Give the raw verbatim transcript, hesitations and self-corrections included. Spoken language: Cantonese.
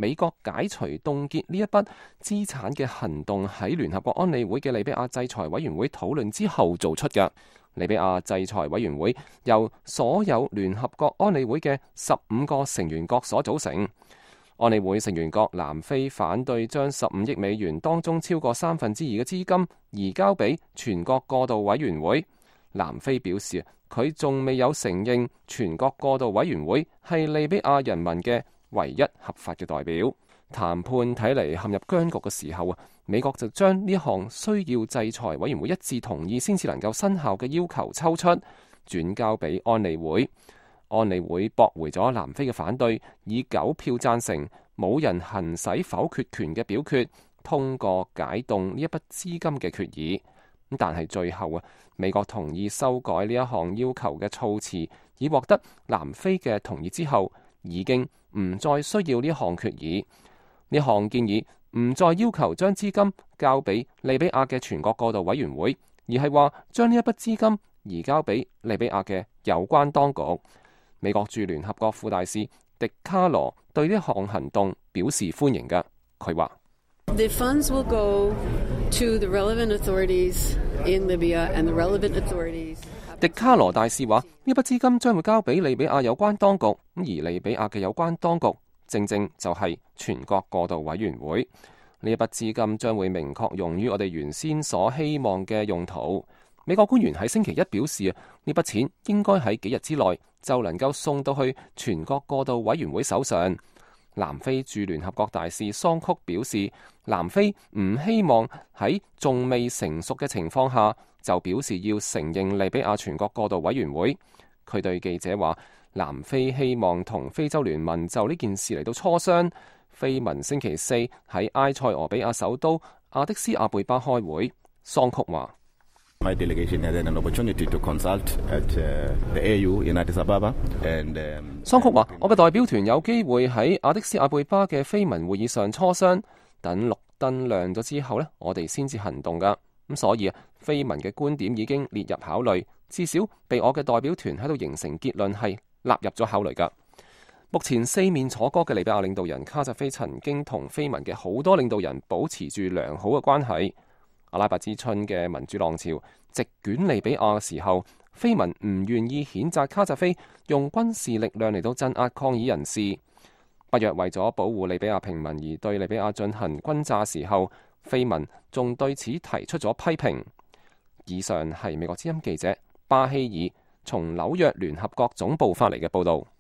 美國解除凍結呢一筆資產嘅行動喺聯合國安理會嘅利比亞制裁委員會討論之後做出嘅。利比亞制裁委員會由所有聯合國安理會嘅十五個成員國所組成。安理會成員國南非反對將十五億美元當中超過三分之二嘅資金移交俾全國過渡委員會。南非表示，佢仲未有承認全國過渡委員會係利比亞人民嘅唯一合法嘅代表。談判睇嚟陷入僵局嘅時候啊，美國就將呢項需要制裁委員會一致同意先至能夠生效嘅要求抽出，轉交俾安理會。安理會駁回咗南非嘅反對，以九票贊成、冇人行使否決權嘅表決，通過解凍呢一筆資金嘅決議。但係最後啊，美國同意修改呢一項要求嘅措辭，以獲得南非嘅同意之後，已經唔再需要呢項決議。呢項建議唔再要求將資金交俾利比亞嘅全國過渡委員會，而係話將呢一筆資金移交俾利比亞嘅有關當局。美國駐聯合國副大使迪卡羅對呢項行動表示歡迎嘅，佢話：The funds will go to the relevant authorities in Libya and the relevant authorities。迪卡羅大使話：呢筆資金將會交俾利比亞有關當局，而利比亞嘅有關當局正正就係全國過渡委員會。呢一筆資金將會明確用於我哋原先所希望嘅用途。美國官員喺星期一表示啊，呢筆錢應該喺幾日之內就能夠送到去全國過渡委員會手上。南非駐聯合國大使桑曲表示，南非唔希望喺仲未成熟嘅情況下就表示要承認利比亞全國過渡委員會。佢對記者話，南非希望同非洲聯盟就呢件事嚟到磋商。非盟星期四喺埃塞俄比亞首都阿的斯亞貝巴開會。桑曲話My delegation had an opportunity to consult at the A U in Addis Ababa and 桑曲話：我嘅代表團有機會喺阿的斯亞貝巴嘅非盟會議上磋商，等綠燈亮咗之後呢，我哋先至行動噶。咁所以啊，非盟嘅觀點已經列入考慮，至少被我嘅代表團喺度形成結論係納入咗考慮噶。目前四面楚歌嘅利比亞領導人卡扎菲曾經同非盟嘅好多領導人保持住良好嘅關係。阿拉伯之春嘅民主浪潮席捲利比亞嘅時候，非盟唔願意譴責卡扎菲用軍事力量嚟到鎮壓抗議人士。北約為咗保護利比亞平民而對利比亞進行轟炸時候，非盟仲對此提出咗批評。以上係美國之音記者巴希爾從紐約聯合國總部發嚟嘅報導。